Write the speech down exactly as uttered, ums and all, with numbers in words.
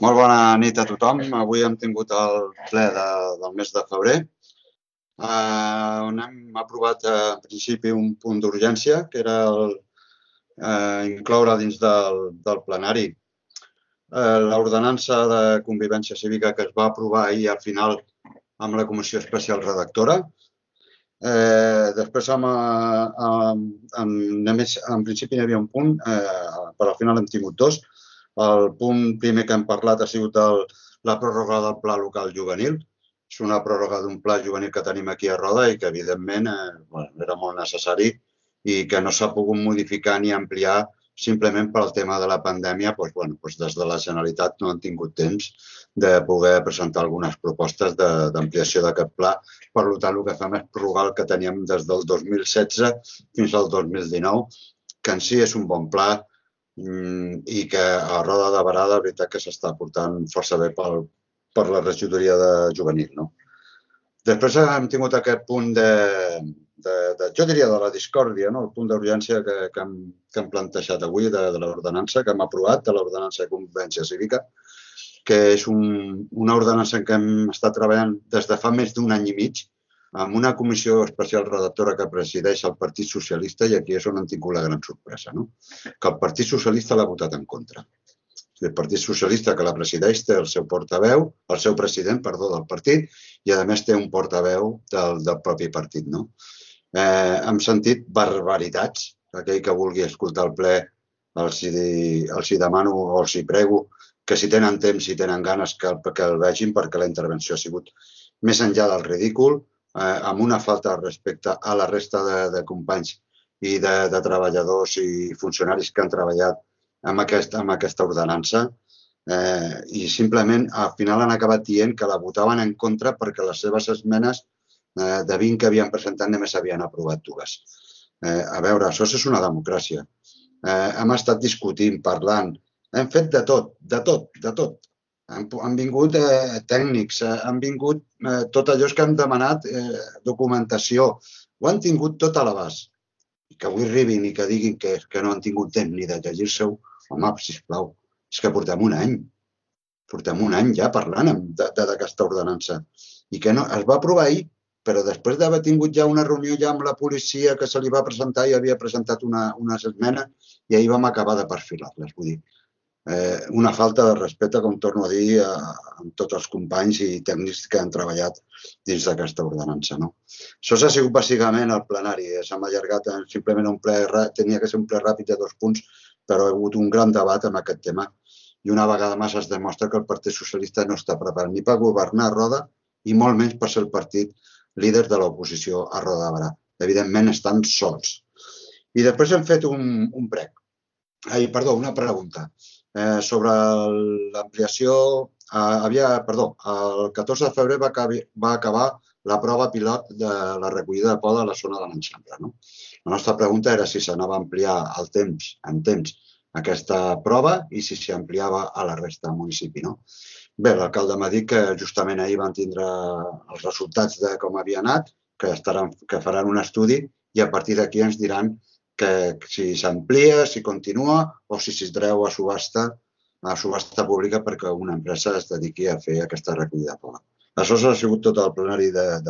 Molt bona nit a tothom. Avui hem tingut el ple de, del mes de febrer, eh, on hem aprovat eh, en principi un punt d'urgència, que era el, eh, incloure dins del, del plenari eh, l'ordenança de convivència cívica que es va aprovar ahir al final amb la Comissió Especial Redactora. Eh, després, amb, amb, amb, en principi, hi havia un punt, eh, però al final hem tingut dos. El punt primer que hem parlat ha sigut el, la pròrroga del Pla Local Juvenil. És una pròrroga d'un pla juvenil que tenim aquí a Roda i que, evidentment, eh, bueno, era molt necessari i que no s'ha pogut modificar ni ampliar simplement pel tema de la pandèmia. Doncs, bueno, doncs des de la Generalitat no han tingut temps de poder presentar algunes propostes d'ampliació d'aquest pla. Per tant, el que fem és prorrogar el que teníem des del dos mil setze fins al dos mil dinou, que en si és un bon pla i que a Roda de Berà, de veritat, que s'està portant força bé pel, per la regidoria de juvenil. No? Després hem tingut aquest punt de, de, de jo diria, de la discòrdia, no? El punt d'urgència que, que, hem, que hem plantejat avui de, de l'ordenança que hem aprovat, de l'ordenança de convivència cívica, que és un, una ordenança en què hem estat treballant des de fa més d'un any i mig, amb una comissió especial redactora que presideix el Partit Socialista, i aquí és on han tingut la gran sorpresa, no? Que el Partit Socialista l'ha votat en contra. El Partit Socialista que la presideix té el seu portaveu, el seu president, perdó, del partit, i a més té un portaveu del, del propi partit, no? Eh, hem sentit barbaritats. Aquell que vulgui escoltar el ple els hi, els hi demano o els hi prego que si tenen temps, si tenen ganes, que, que el vegin, perquè la intervenció ha sigut més enllà del ridícul, eh, amb una falta de respecte a la resta de, de companys i de, de treballadors i funcionaris que han treballat amb, aquest, amb aquesta ordenança, eh, i simplement al final han acabat dient que la votaven en contra perquè les seves esmenes eh, de vint que havien presentat només havien aprovat dues. Eh, a veure, això és una democràcia. Eh, hem estat discutint, parlant, hem fet de tot, de tot, de tot. Han, han vingut eh, tècnics, eh, han vingut eh, tot allò que han demanat, eh, documentació, ho han tingut tot a l'abast. I que avui arribin i que diguin que, que no han tingut temps ni de llegir-se-ho, home, sisplau, és que portem un any, portem un any ja parlant d'aquesta ordenança. I que no, es va aprovar ahir, però després d'haver tingut ja una reunió ja amb la policia que se li va presentar i havia presentat una, unes esmenes i ahir vam acabar de perfilar-les. Vull dir, eh, una falta de respecte, com torno a dir, a, a tots els companys i tècnics que han treballat dins d'aquesta ordenança. No? Això s'ha sigut bàsicament el plenari. S'ha allargat simplement un ple, tenia que ser un ple ràpid de dos punts, però ha hagut un gran debat amb aquest tema i una vegada més es demostra que el Partit Socialista no està preparat ni per governar a Roda i molt menys per ser el partit líder de l'oposició a Roda de Berà. Evidentment estan sols. I després hem fet un, un prec. Ai, perdó, una pregunta. Eh, sobre l'ampliació, eh, havia, perdó, el catorze de febrer va, va acabar la prova pilot de la recollida de poda a la zona de l'Enxample. No? La nostra pregunta era si s'anava a ampliar el temps, en temps, aquesta prova i si s'ampliava a la resta del municipi. No? Bé, l'alcalde m'ha dit que justament ahir van tindre els resultats de com havia anat, que, estaran, que faran un estudi i a partir d'aquí ens diran que si s'amplia, si continua o si s'hi treu a subhasta, a subhasta pública perquè una empresa es dediqui a fer aquesta recollida de poda. Això ha sigut tot el plenari d'avui.